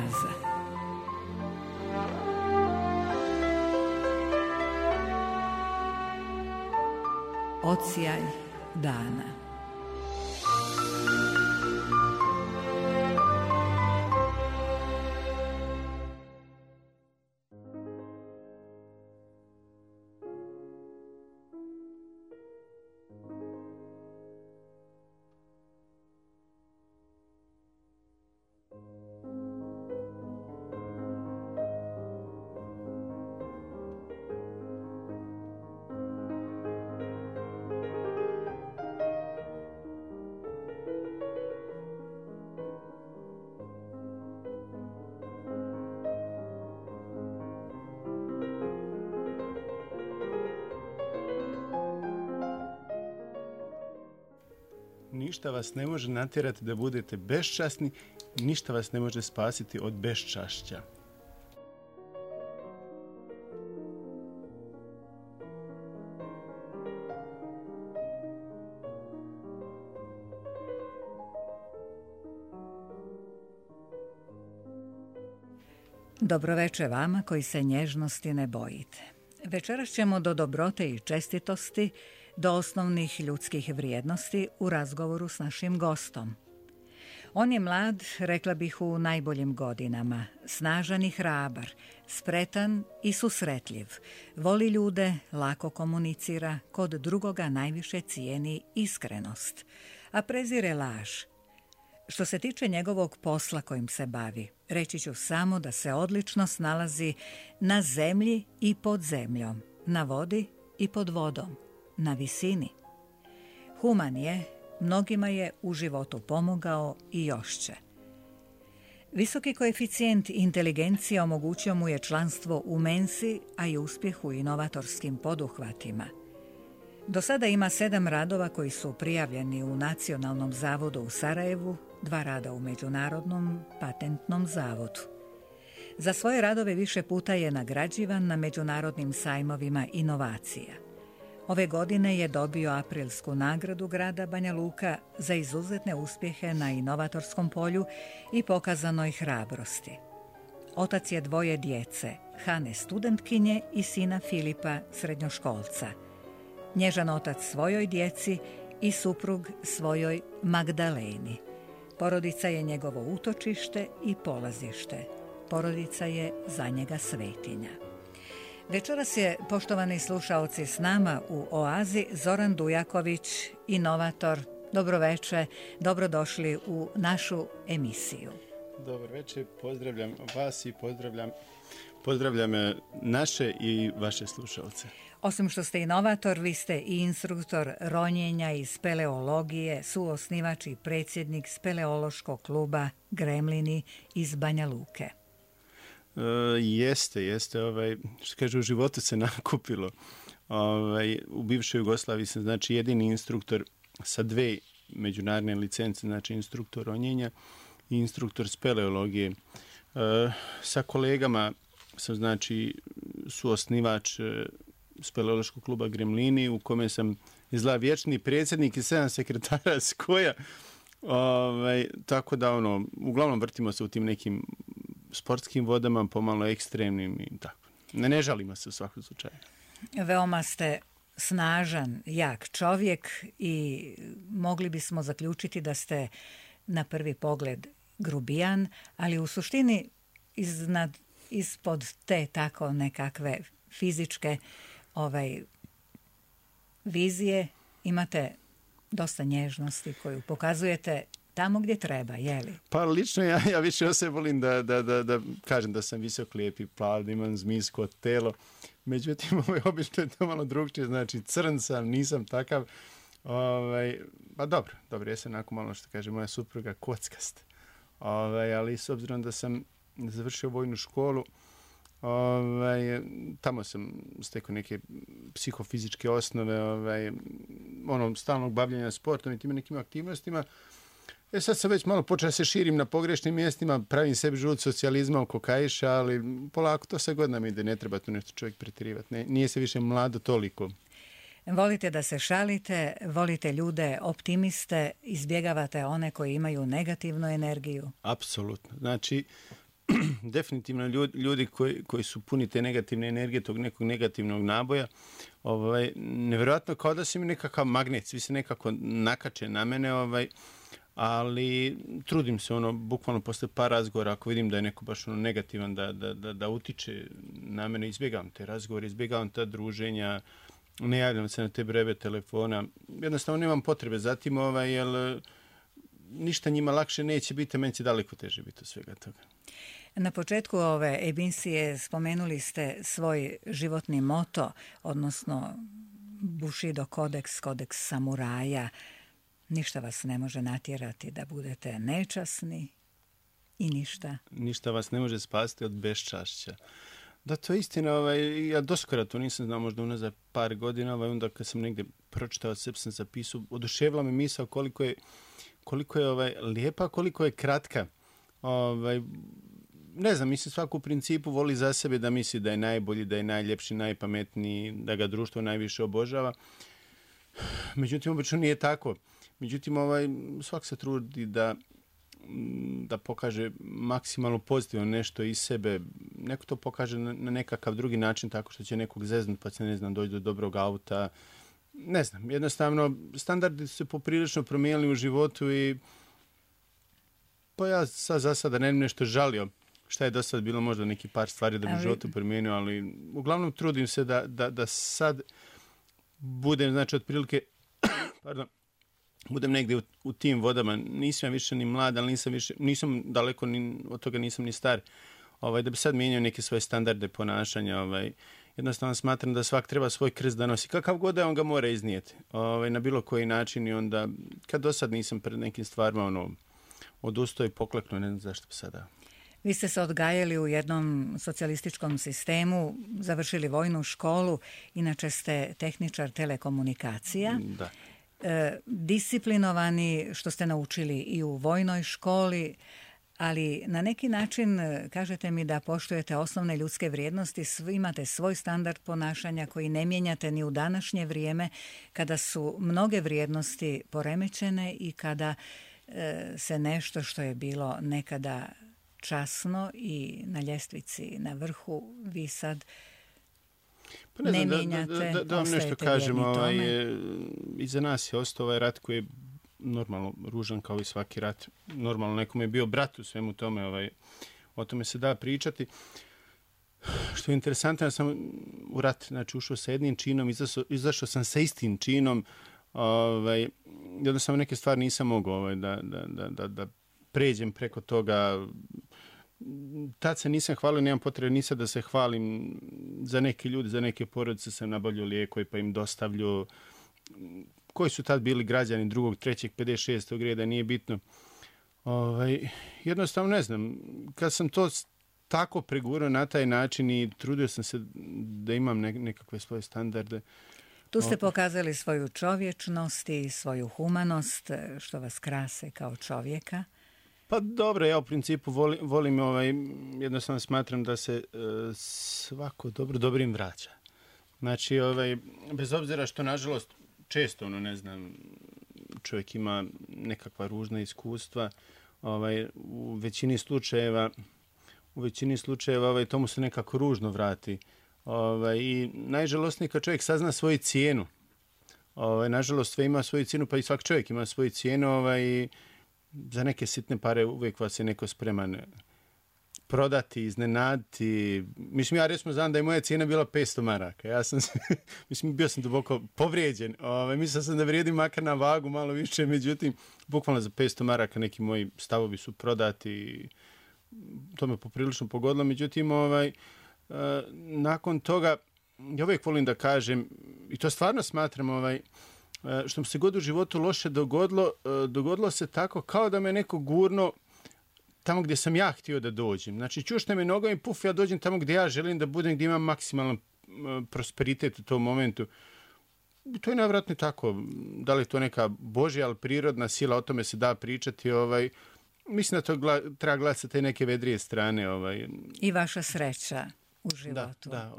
Oaza. Odsjaj dana. Ništa vas ne može natjerati da budete beščasni, ništa vas ne može spasiti od beščašća. Dobroveče vama koji se nježnosti ne bojite. Večeras ćemo do dobrote i čestitosti, do osnovnih ljudskih vrijednosti u razgovoru s našim gostom. On je mlad, rekla bih u najboljim godinama, snažan i hrabar, spretan i susretljiv, voli ljude, lako komunicira, kod drugoga najviše cijeni iskrenost, a prezire laž. Što se tiče njegovog posla kojim se bavi, reći ću samo da se odlično snalazi na zemlji i pod zemljom, na vodi i pod vodom, na visini. Human je, mnogima je u životu pomogao i još će. Visoki koeficijent inteligencije omogućio mu je članstvo u Mensi, a i uspjeh u inovatorskim poduhvatima. Do sada ima 7 radova koji su prijavljeni u Nacionalnom zavodu u Sarajevu, 2 rada u Međunarodnom patentnom zavodu. Za svoje radove više puta je nagrađivan na međunarodnim sajmovima inovacija. Ove godine je dobio aprilsku nagradu grada Banja Luka za izuzetne uspjehe na inovatorskom polju i pokazanoj hrabrosti. Otac je 2 djece, Hane studentkinje i sina Filipa srednjoškolca. Nježan otac svojoj djeci i suprug svojoj Magdaleni. Porodica je njegovo utočište i polazište. Porodica je za njega svetinja. Večeras je, poštovani slušaoci, s nama u Oazi Zoran Dujaković, inovator. Dobroveče, dobrodošli u našu emisiju. Dobro večer, pozdravljam vas i pozdravljam naše i vaše slušalce. Osim što ste inovator, vi ste i instruktor ronjenja iz speleologije, suosnivač i predsjednik speleološkog kluba Gremlini iz Banja Luke. Jeste, što kaže, u životu se nakupilo. U bivšoj Jugoslaviji sam, znači, jedini instruktor sa 2 međunarodne licence, znači instruktor ronjenja i instruktor speleologije. Sa kolegama sam, znači, suosnivač speleološkog kluba Gremlini, u kome sam izgleda vječni predsjednik i 7 sekretara skoja. Tako da, uglavnom vrtimo se u tim nekim sportskim vodama, pomalo ekstremnim i tako. Ne žalimo se u svakom slučaju. Veoma ste snažan, jak čovjek i mogli bismo zaključiti da ste na prvi pogled grubijan, ali u suštini ispod te tako nekakve fizičke vizije imate dosta nježnosti koju pokazujete tamo gdje treba, je li? Pa lično ja više o sebi volim da kažem da sam visok, lijep i plav, da imam zmijsko telo. Međutim, obično je to malo drugčije, znači crn sam, nisam takav. Pa dobro, jesam onako malo, što kaže moja supruga, kockast. Ali s obzirom da sam završio vojnu školu, tamo sam stekao neke psihofizičke osnove, stalnog bavljenja sportom i tim nekim aktivnostima. Sad sam već malo počeo da se širim na pogrešnim mjestima, pravim sebi žud socijalizma oko kaiša, ali polako to sa godinama ide, ne treba tu nešto čovjek pretjerivati. Nije se više mlado toliko. Volite da se šalite, volite ljude optimiste, izbjegavate one koji imaju negativnu energiju? Apsolutno. Znači, definitivno ljudi koji su puni te negativne energije, tog nekog negativnog naboja, nevjerojatno kao da se mi nekakav magnet, svi se nekako nakače na mene, ali trudim se, bukvalno posle par razgovora, ako vidim da je neko baš negativan, da utiče na mene, izbjegavam te razgovore, izbjegavam ta druženja, ne javljam se na te breve telefona, jednostavno nemam potrebe za tim, jer ništa njima lakše neće biti, meni će daleko teže biti od svega toga. Na početku ove emisije spomenuli ste svoj životni moto, odnosno Bushido kodeks, kodeks samuraja. Ništa vas ne može natjerati da budete nečasni i ništa. Ništa vas ne može spasiti od beščašća. Da, to je istina. Ja doskora to nisam znao, možda unazad par godina. Onda kad sam negdje pročitao, sve sam zapisao, oduševila me misao koliko je lijepa, koliko je kratka. Ne znam, mislim, svako u principu voli za sebe da misli da je najbolji, da je najljepši, najpametniji, da ga društvo najviše obožava. Međutim, obično nije tako. Međutim, svak se trudi da pokaže maksimalno pozitivno nešto iz sebe. Neko to pokaže na nekakav drugi način, tako što će nekog zeznut, pa će, ne znam, doći do dobrog auta. Ne znam, jednostavno, standardi su se poprilično promijenili u životu i pa ja za sada ne nešto žalio šta je do sad bilo, možda neki par stvari da bi životu promijenio, ali uglavnom trudim se da sad budem, znači, otprilike, budem negdje u tim vodama. Nisam više ni mlad, ali nisam daleko od toga, nisam ni star. Da bi sad mijenjao neke svoje standarde ponašanja. Jednostavno smatram da svak treba svoj krst da nosi. Kakav god da on ga mora iznijeti. Na bilo koji način, i onda kad do sad nisam pred nekim stvarima odustao i pokleknuo, ne znam zašto bi sada. Vi ste se odgajali u jednom socijalističkom sistemu, završili vojnu školu, inače ste tehničar telekomunikacija. Da. Disciplinovani, što ste naučili i u vojnoj školi, ali na neki način kažete mi da poštujete osnovne ljudske vrijednosti, imate svoj standard ponašanja koji ne mijenjate ni u današnje vrijeme, kada su mnoge vrijednosti poremećene i kada se nešto što je bilo nekada časno i na ljestvici na vrhu, vi sad ne mijenjate, da vam nešto kažem, iza nas je ostao ovaj rat koji je normalno ružan kao i svaki rat. Normalno nekome je bio brat u svemu tome, o tome se da pričati. Što je interesantno, ja sam u rat, znači, ušao sa jednim činom, izašao sam sa istim činom, jednostavno neke stvari nisam mogao da pređem preko toga. Tad se nisam hvalio, nemam potrebe nisam da se hvalim. Za neke ljudi, za neke porodice sam nabavljao lijekove pa im dostavljao. Koji su tad bili građani drugog, trećeg, 56. reda, nije bitno. Jednostavno ne znam, kad sam to tako pregurao na taj način i trudio sam se da imam nekakve svoje standarde. Tu ste pokazali svoju čovječnost i svoju humanost, što vas krase kao čovjeka. Pa dobro, ja u principu volim jednostavno smatram da se svako dobro dobrim vraća. Znači, bez obzira što, nažalost, često, ne znam, čovjek ima nekakva ružna iskustva, u većini slučajeva tomu se nekako ružno vrati. I najžalostnije kad čovjek sazna svoju cijenu. Nažalost, sve ima svoju cijenu, pa i svaki čovjek ima svoju cijenu, i za neke sitne pare uvijek vas je neko spreman prodati, iznenaditi. Mislim, ja recimo znam da je moja cijena bila 500 maraka. Ja sam, bio sam duboko povrijeđen. Mislio sam da vrijedim makar na vagu malo više, međutim, bukvalno za 500 maraka neki moji stavovi su prodati. To me poprilično pogodilo. Međutim, nakon toga, ja uvijek volim da kažem, i to stvarno smatram, što mi se god u životu loše dogodilo se tako kao da me neko gurno tamo gdje sam ja htio da dođem. Znači, čušne me nogom i puf, ja dođem tamo gdje ja želim da budem, gdje imam maksimalan prosperitet u tom momentu. To je nevjerojatno tako. Da li je to neka božja, ali prirodna sila, o tome se da pričati. Mislim da to treba gledati sa te neke vedrije strane. I vaša sreća u životu. Da.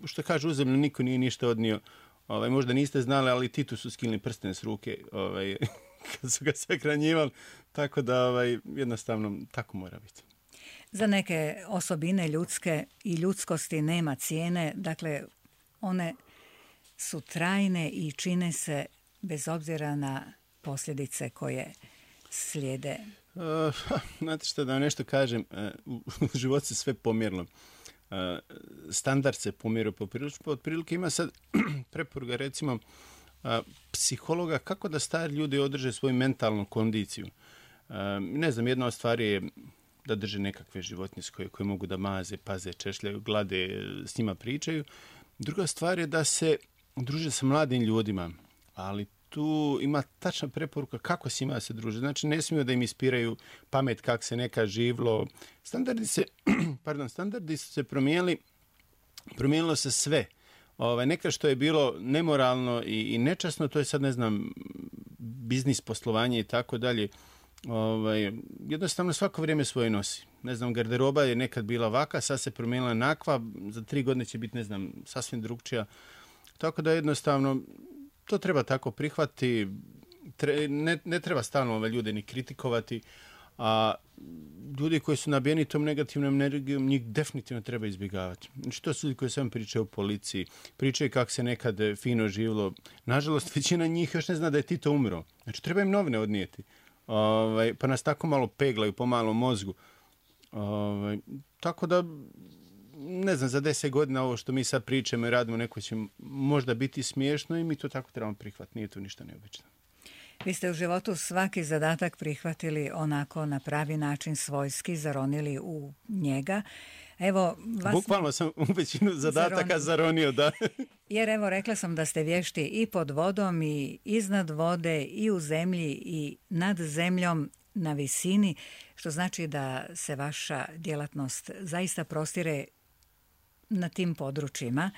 Što kaže, u zemlju niko nije ništa odnio. Možda niste znali, ali Titu su skinuli prsten s ruke kad su ga sahranjivali. Tako da jednostavno tako mora biti. Za neke osobine ljudske i ljudskosti nema cijene, dakle one su trajne i čine se bez obzira na posljedice koje slijede. Znate što, da nešto kažem, u životu se sve pomjerilo. Standard se pomjerio otprilike. Ima sad preporuka, recimo, psihologa kako da stari ljudi održe svoju mentalnu kondiciju. Ne znam, jedna od stvari je da drže nekakve životinje koje mogu da maze, paze, češljaju, glade, s njima pričaju. Druga stvar je da se druže sa mladim ljudima, ali tu ima tačna preporuka kako s njima se druže. Znači, ne smiju da im ispiraju pamet kako se neka živlo. Standardi su se promijenilo se sve. Neka što je bilo nemoralno i nečasno, to je sad, ne znam, biznis, poslovanje i tako dalje. Jednostavno svako vrijeme svoje nosi. Ne znam, garderoba je nekad bila ovaka, sad se promijenila nakva, za 3 godine će biti, ne znam, sasvim drugčija. Tako da jednostavno to treba tako prihvatiti. Ne treba stalno ljude ni kritikovati, a ljudi koji su nabijeni tom negativnom energijom, njih definitivno treba izbjegavati. Znači, to su ljudi koji samo pričaju o policiji, pričaju kako se nekad fino živlo. Nažalost, većina njih još ne zna da je Tito umro. Znači, treba im novine odnijeti. Pa nas tako malo peglaju po malom mozgu. Tako da, ne znam, za 10 godina ovo što mi sad pričamo i radimo, neko će možda biti smiješno i mi to tako trebamo prihvatiti. Nije tu ništa neobično. Vi ste u životu svaki zadatak prihvatili onako na pravi način, svojski, zaronili u njega. Evo, bukvalno sam u većinu zadataka zaronio, da. Jer evo, rekla sam da ste vješti i pod vodom i iznad vode i u zemlji i nad zemljom na visini, što znači da se vaša djelatnost zaista prostire na tim područjima.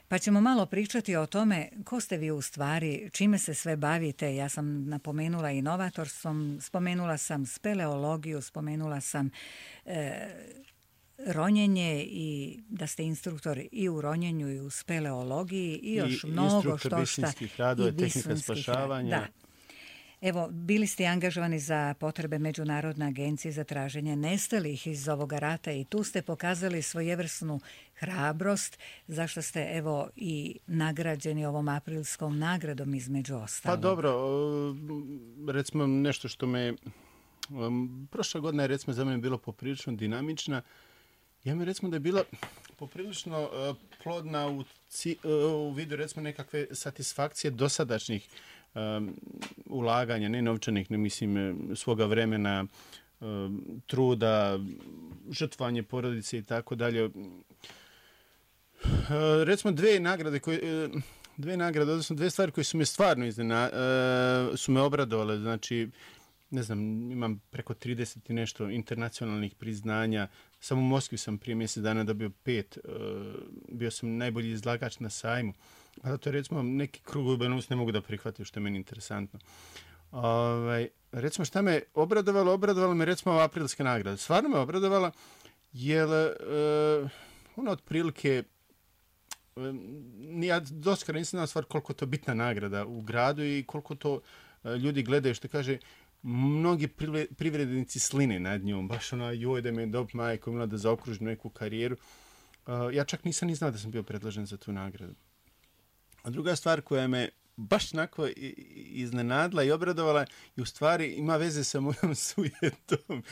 Pa ćemo malo pričati o tome ko ste vi u stvari, čime se sve bavite. Ja sam napomenula inovatorstvom, spomenula sam speleologiju, spomenula sam ronjenje i da ste instruktor i u ronjenju i u speleologiji i još mnogo što šta. I instruktor radova i tehnika spašavanja. Da. Evo, bili ste angažovani za potrebe Međunarodne agencije za traženje nestalih iz ovoga rata i tu ste pokazali svojevrsnu hrabrost, zašto ste evo i nagrađeni ovom aprilskom nagradom između ostalog. Pa dobro, recimo nešto što me prošla godina je recimo za mene bilo poprilično dinamična. Ja mi recimo da je bila poprilično plodna u vidu recimo nekakve satisfakcije dosadašnjih ulaganja, ne novčanih, ne mislim svoga vremena, truda, žrtvovanje porodice i tako dalje. Recimo dve nagrade, odnosno 2 stvari koje su me stvarno su me obradovale. Znači, ne znam, imam preko 30 i nešto internacionalnih priznanja. Samo u Moskvi sam prije mjesec dana dobio 5. Bio sam najbolji izlagač na sajmu. Pa to je recimo neki krugovi bonus ne mogu da prihvatim, što je meni interesantno. Recimo šta me obradovalo me recimo ova aprilska nagrada. Stvarno me obradovala jer ona otprilike ja doskora nisam znao stvar koliko to bitna nagrada u gradu i koliko to ljudi gledaju, što kaže, mnogi privrednici sline nad njom, baš ona, joj da mi je dob majko, imala da zaokružim neku karijeru. Ja čak nisam ni znao da sam bio predložen za tu nagradu. A druga stvar koja me baš onako iznenadila i obradovala i u stvari ima veze sa mojom sujetom.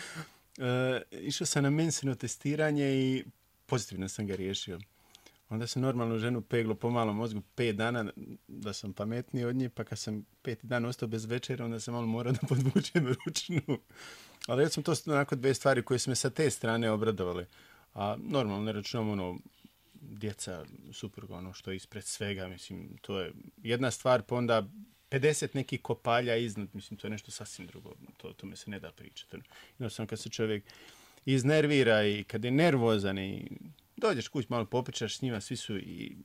Išao sam na mensino testiranje i pozitivno sam ga riješio. Onda sam normalnu ženu peglo po malom mozgu 5 dana da sam pametniji od nje, pa kad sam 5. dan ostao bez večera, onda sam malo morao da podvučem ručnu. Ali recimo to su onako 2 stvari koje su me sa te strane obradovale. A normalno ne računam djeca, supruga, što je ispred svega, mislim, to je jedna stvar, pa onda 50 nekih kopalja iznad, mislim, to je nešto sasvim drugo, to me se ne da pričati. Jednostavno kad se čovjek iznervira i kad je nervozan i dođeš kuć, malo popričaš s njima, svi su i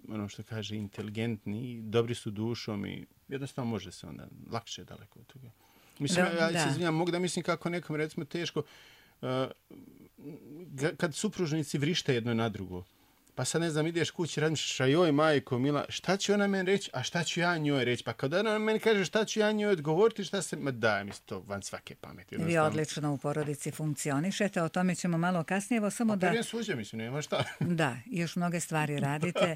ono što kaže inteligentni i dobri su dušom i jednostavno može se onda lakše daleko od toga. Mislim, ja se izvinjam, mogu da mislim kako nekom recimo teško kad supružnici vrište jedno na drugo. Pa sad ne znam, ideš kući, razmišljaš, a joj majko mila, šta će ona meni reći, a šta ću ja njoj reći? Pa kada ona meni kaže šta ću ja njoj odgovoriti, šta se... Ma daj mi to van svake pameti. Vi odlično u porodici funkcionišete, o tome ćemo malo kasnije. Evo samo da... Prije suđe, mislim, nema šta. Da, još mnoge stvari radite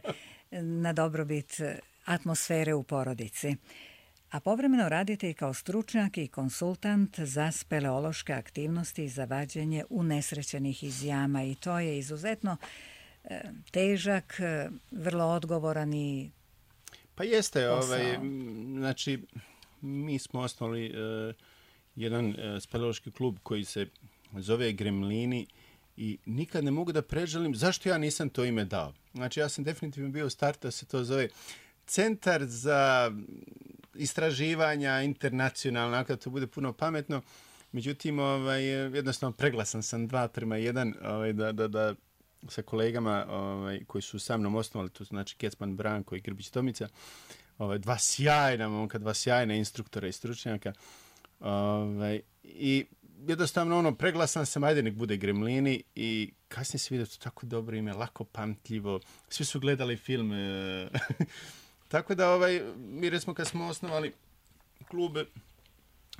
na dobrobit atmosfere u porodici. A povremeno radite i kao stručnjak i konsultant za speleološke aktivnosti i za vađenje unesrećenih iz jama. I to je izuzetno težak, vrlo odgovoran i pa jeste, posao. Znači, mi smo osnovali jedan speleološki klub koji se zove Gremlini i nikad ne mogu da prežalim zašto ja nisam to ime dao. Znači, ja sam definitivno bio u startu da se to zove Centar za istraživanja internacionalna, ako to bude puno pametno. Međutim, jednostavno preglasan sam 2:1 da sa kolegama koji su sa mnom osnovali, to znači Kecman Branko i Grbić Tomica, dva sjajna momka, dva sjajna instruktora i stručnjaka. I jednostavno preglasan sam, ajde nek bude Gremlini, i kasnije se vidio to tako dobro ime, lako pamtljivo, svi su gledali film. Tako da mi recimo kad smo osnovali klub,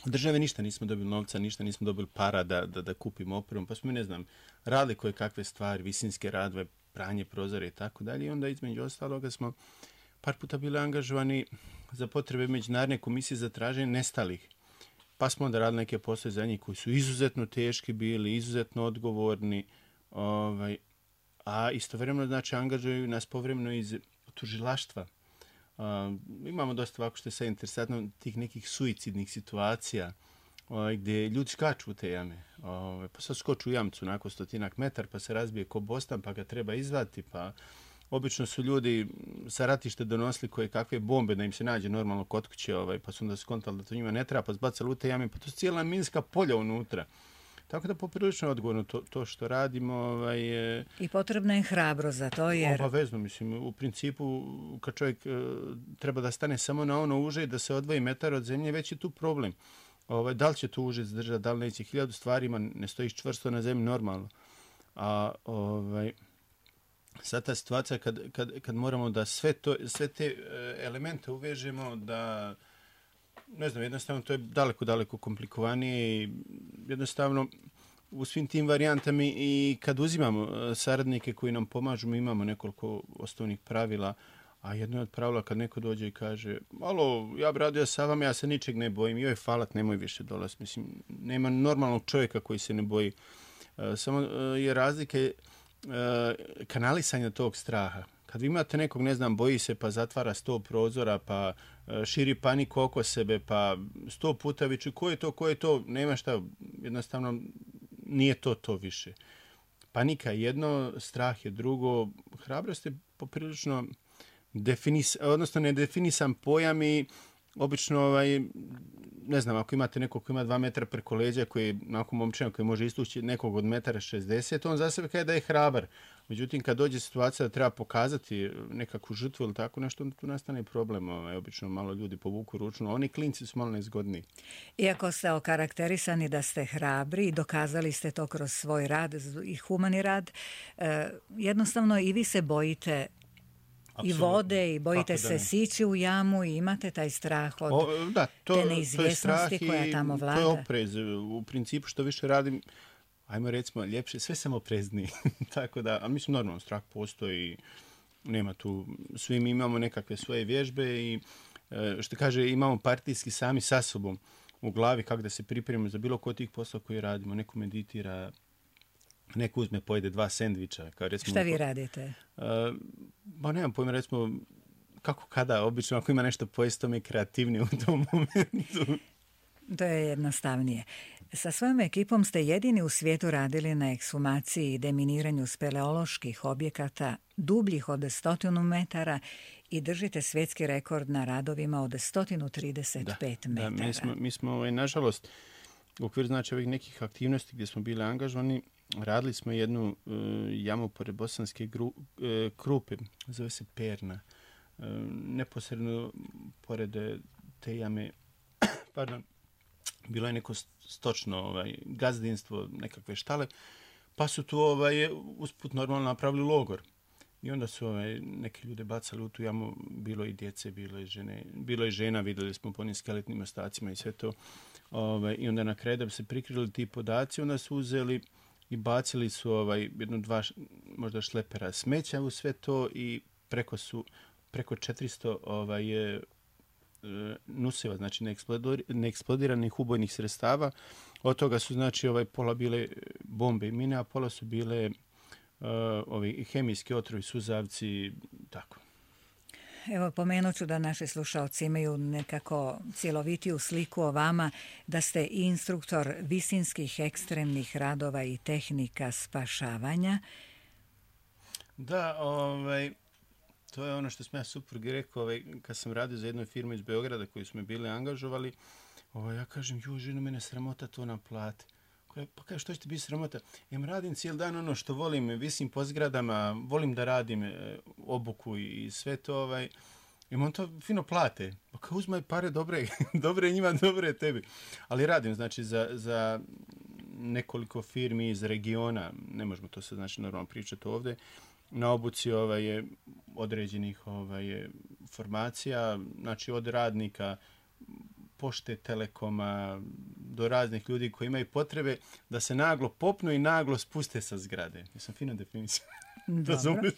od države ništa nismo dobili novca, ništa nismo dobili para da kupimo opremu, pa smo, ne znam, radili koje kakve stvari, visinske radove, pranje prozore i tako dalje. I onda između ostaloga smo par puta bili angažovani za potrebe Međunarodne komisije za traženje nestalih. Pa smo onda radili neke poslove za njih koji su izuzetno teški bili, izuzetno odgovorni, a istovremeno znači angažuju nas povremeno iz tužilaštva. Imamo dosta, ovako što je sve interesantno, tih nekih suicidnih situacija gdje ljudi skaču u te jame. Pa sad skoču u jamcu nakon 100 metara, pa se razbije ko bostan, pa ga treba izvati, pa obično su ljudi sa ratište donosili koje kakve bombe da im se nađe normalno kod kuće, pa su onda skontali da to njima ne treba, pa zbacali u te jame, pa to su cijela minska polja unutra. Tako da poprilično odgovorno to što radimo. I potrebna je hrabrost za to, jer... Obavezno, mislim, u principu kad čovjek treba da stane samo na ono uže i da se odvoji metar od zemlje, već je tu problem. Da li će to uže zdržati, da li neće, 1000 stvarima, ne stojiš čvrsto na zemlji normalno. A sad ta situacija kad moramo da sve te elemente uvežemo, da ne znam, jednostavno to je daleko komplikovanije i jednostavno u svim tim varijantama i kad uzimamo saradnike koji nam pomažu, mi imamo nekoliko osnovnih pravila, a jedno od pravila kad neko dođe i kaže, alo, ja bi radio sa vama, ja se ničeg ne bojim, joj falat, nemoj više dolaz. Mislim, nema normalnog čovjeka koji se ne boji. Samo je razlike kanalisanja tog straha. Kad vi imate nekog, ne znam, boji se pa zatvara 100 prozora, pa širi paniku oko sebe, pa 100 puta viču ko je to, nema šta, jednostavno nije to više. Panika je jedno, strah je drugo, hrabrost je poprilično nedefinisan pojam i obično, ne znam, ako imate nekog koji ima 2 metra preko leđa, koji je onako momčina koji može istući nekog od 1,60 m, on za sebe kaže da je hrabar. Međutim, kad dođe situacija da treba pokazati nekakvu žrtvu ili tako nešto, tu nastane problem. Obično malo ljudi povuku ručno. Oni klinci su malo nezgodni. Iako ste okarakterisani da ste hrabri i dokazali ste to kroz svoj rad i humani rad, jednostavno i vi se bojite i vode i bojite se sići u jamu i imate taj strah od te neizvjesnosti koja tamo vlada. To je oprez. U principu što više radim, ajmo recimo ljepše, sve sam oprezniji. Tako da, ali mislim normalno, strah postoji, nema tu, svi mi imamo nekakve svoje vježbe i što kaže, imamo partijski sami sa sobom u glavi kako da se pripremimo za bilo ko tih posla koje radimo. Neko meditira, neko uzme, pojede 2 sendviča. Kao recimo, šta vi radite? Nemam pojma, recimo, kako kada, obično ako ima nešto pojesti, to mi je kreativnije u tom momentu. To je jednostavnije. Sa svojom ekipom ste jedini u svijetu radili na ekshumaciji i deminiranju speleoloških objekata dubljih od 100 metara i držite svjetski rekord na radovima od 135 metara. Da, mi smo nažalost, u okviru znači ovih nekih aktivnosti gdje smo bili angažovani, radili smo jednu jamu pored Bosanske Krupe, zove se Perna. Neposredno pored te jame, bilo je neko stočno gazdinstvo, nekakve štale, pa su tu usput normalno napravili logor. I onda su neke ljude bacali u tu jamu, bilo i djece, bilo i žena, vidjeli smo po onim skeletnim ostacima i sve to. I onda na kraju da bi se prikrili ti podaci, onda su uzeli i bacili su jedno, dva možda šlepera smeća u sve to i preko 400 nusiva, znači neeksplodiranih ubojnih sredstava. Od toga su znači pola bile bombe i mine, a pola su bile ovi hemijski otrovi, suzavci, tako. Evo, pomenut ću da naši slušalci imaju nekako cjelovitiju sliku o vama, da ste instruktor visinskih ekstremnih radova i tehnika spašavanja. Da, to je ono što sam ja suprugi rekao, kad sam radio za jednu firmu iz Beograda koju smo bili angažovali, ja kažem, ženo, mene sramota to naplati. Pa kaže, što će ti biti sramota? Radim cijeli dan ono što volim, visim po zgradama, volim da radim obuku i sve to, on to fino plate. Pa kao, uzmaj pare, dobre njima, dobre tebi. Ali radim, znači, za nekoliko firmi iz regiona, ne možemo to sad, znači, normalno pričati ovdje, na obuci određenih formacija, znači od radnika, pošte, telekoma, do raznih ljudi koji imaju potrebe da se naglo popnu i naglo spuste sa zgrade. Jesam fino definiciju. Dobro.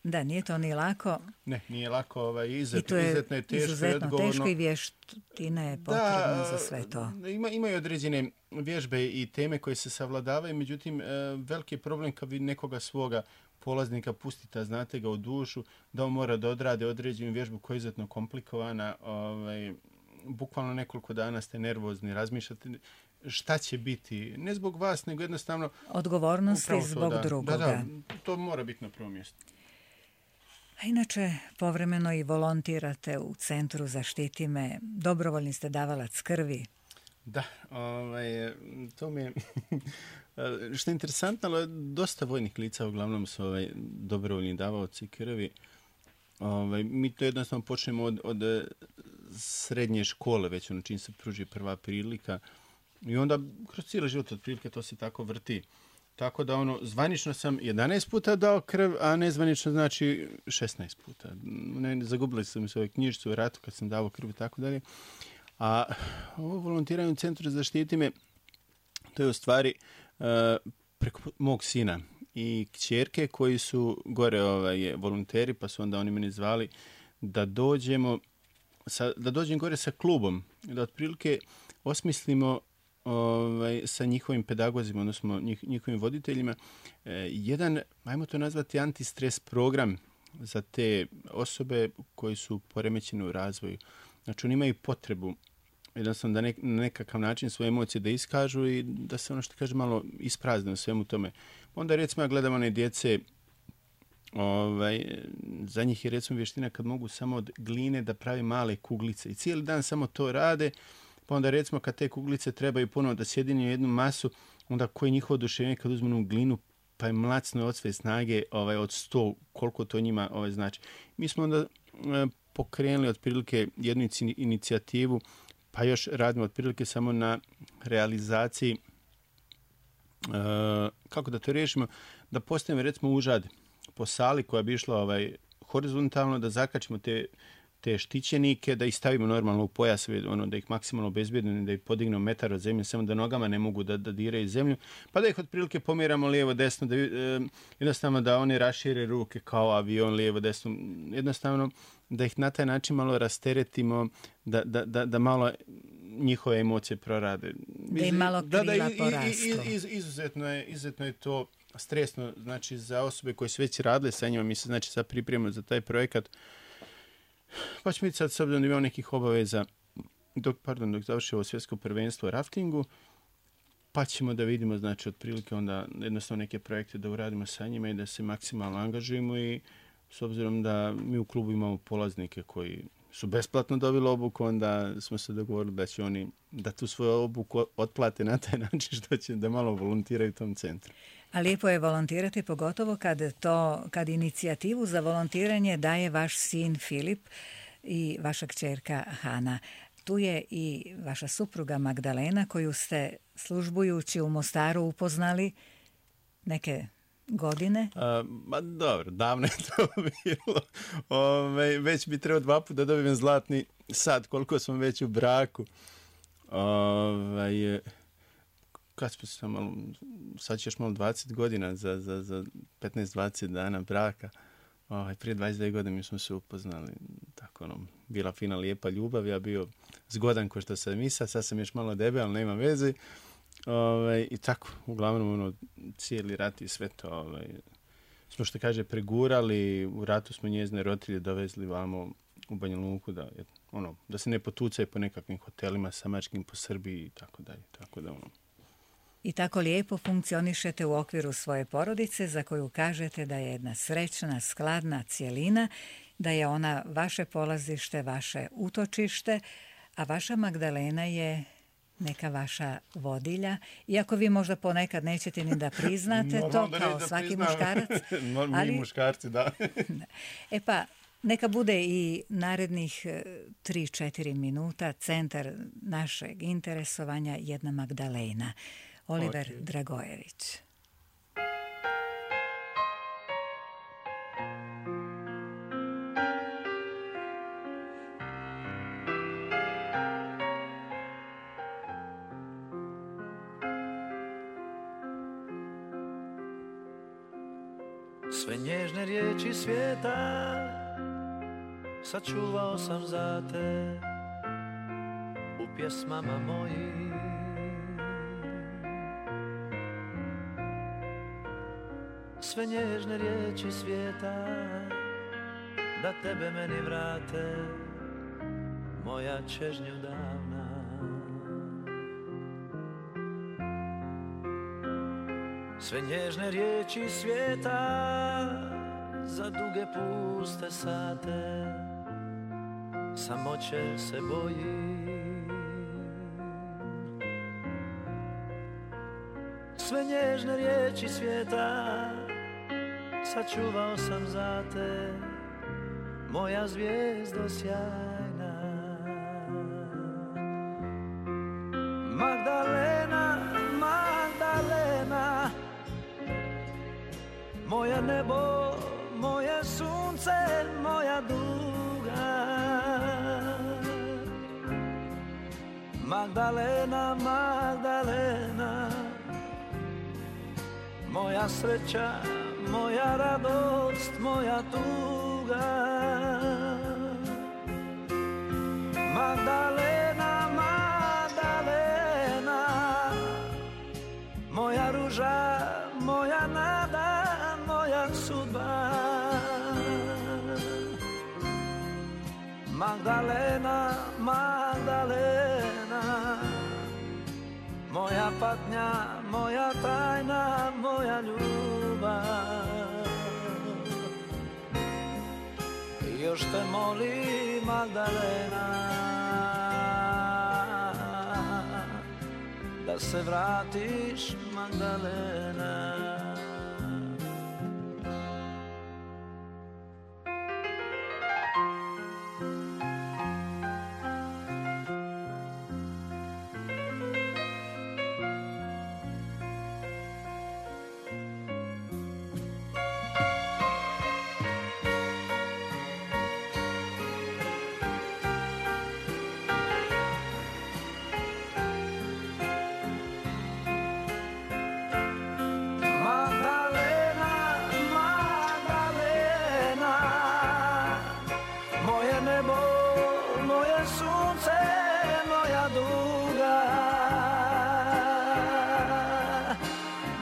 Da, nije to ni lako. Ne, nije lako, izuzetno je teško i odgovorno. Izuzetno teško i vještine je potrebno za sve to. Imaju određene vježbe i teme koje se savladavaju, međutim, veliki je problem kad vi nekoga svoga polaznika pustite, znate ga u dušu, da on mora da odrade određenu vježbu koja je izuzetno komplikovana, bukvalno nekoliko dana ste nervozni, razmišljate šta će biti, ne zbog vas, nego jednostavno odgovornosti zbog drugoga. Da, to mora biti na prvom mjestu. A inače, povremeno i volontirate u Centru Zaštiti me, dobrovoljni ste davalac krvi. Da, to mi je što je interesantno, ali dosta vojnih lica uglavnom su dobrovoljni davaoci krvi. Mi to jednostavno počnemo od srednje škole, već čim se pruži prva prilika i onda kroz cijeli život otprilike to se tako vrti. Tako da zvanično sam 11 puta dao krv, a nezvanično znači 16 puta. Zagubili sam se knjižicu u ratu kad sam dao krv i tako dalje. A ovo volontiranje u Centru Zaštiti me, to je u stvari preko mog sina i kćerke koji su gore volonteri, pa su onda oni meni zvali da dođem gore sa klubom, da otprilike osmislimo sa njihovim pedagozima, odnosno njihovim voditeljima, jedan, ajmo to nazvati, antistres program za te osobe koji su poremećene u razvoju. Znači, oni imaju potrebu jednostavno da na nekakav način svoje emocije da iskažu i da se ono što kaže malo isprazne u svemu tome. Onda recimo ja gledam one djece, za njih je recimo vještina kad mogu samo od gline da pravi male kuglice i cijeli dan samo to rade, pa onda recimo kad te kuglice trebaju ponovo da sjedinju jednu masu, onda koje je njihovo oduševljenje kad uzmenu glinu pa je mlacno od sve snage od 100, koliko to njima znači. Mi smo onda pokrenuli otprilike jednu inicijativu, pa još radimo otprilike samo na realizaciji, kako da to riješimo, da postavimo recimo užad po sali koja bi išla horizontalno, da zakačimo te štićenike, da ih stavimo normalno u pojas, da ih maksimalno obezbjedimo, da ih podignemo metar od zemlje, samo da nogama ne mogu da diraju zemlju, pa da ih otprilike pomjeramo lijevo, desno, da jednostavno da oni rašire ruke kao avion, lijevo, desno, jednostavno da ih na taj način malo rasteretimo, da malo njihove emocije prorade. Da im malo krila porastu. Izuzetno je to stresno, znači za osobe koje su već radile sa njima, mi se znači sad pripremamo za taj projekat, pa ćemo vidjeti sad s obzirom da imamo nekih obaveza dok završi ovo svjetsko prvenstvo u raftingu, pa ćemo da vidimo znači otprilike onda jednostavno neke projekte da uradimo sa njima i da se maksimalno angažujemo i s obzirom da mi u klubu imamo polaznike koji su besplatno dobili obuku, onda smo se dogovorili da će oni da tu svoju obuku otplate na taj način što će da malo volontiraju u tom centru. A lijepo je volontirati, pogotovo kad inicijativu za volontiranje daje vaš sin Filip i vaša kćerka Hana. Tu je i vaša supruga Magdalena koju ste službujući u Mostaru upoznali. Neke godine? Dobro, davno je to bilo. Već bi trebao 2 puta da dobijem zlatni sat, koliko smo već u braku. Kad smo se malo, sad ćeš malo 20 godina za 15-20 dana braka. Prije 22 godine mi smo se upoznali. Tako, bila fina, lijepa ljubav. Ja bio zgodan ko što sam i sad sam još malo debel, ali nema veze. I tako, uglavnom, cijeli rat i sve to, smo što kaže pregurali. U ratu smo njezine roditelje dovezli vamo u Banja Luku da se ne potucaju po nekakvim hotelima samačkim po Srbiji i tako dalje. Tako da, I tako lijepo funkcionišete u okviru svoje porodice za koju kažete da je jedna srećna, skladna cjelina, da je ona vaše polazište, vaše utočište, a vaša Magdalena je neka vaša vodilja, iako vi možda ponekad nećete ni da priznate to kao svaki muškarac. Mi muškarci, da. Pa, neka bude i narednih 3-4 minuta centar našeg interesovanja jedna Magdalena. Oliver Dragojević. Sve nježne riječi svijeta sačuvao sam za te u pjesmama mojih. Sve nježne riječi svijeta da tebe meni vrate, moja čežnju davna. Sve nježne riječi svijeta za duge puste sate, samoće se boji. Sve nježne riječi svijeta sačuvao sam za te, moja zvijezdo sjajna. Magdalena, Magdalena, moje nebo, moje sunce, moja duga. Magdalena, Magdalena, moja sreća, moja radost, moja tuga. Magdalena, Magdalena, moja ruža, moja nada, moja sudba. Magdalena, Magdalena, moja patnja, moja tajna, moja ljubav. Još te molim, Magdalena, da se vratiš, Magdalena.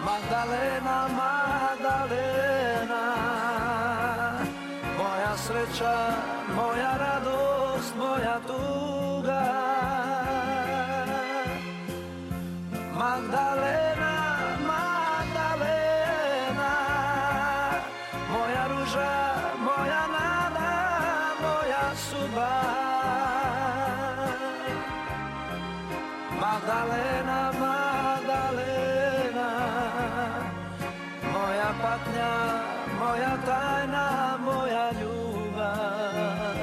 Magdalena, Magdalena, moja sreća, moja radost, moja tuga. Magdalena, Magdalena, moja ruža, moja nada, moja sudba. Magdalena, Magdalena, moja patnja, moja tajna, moja ljubav.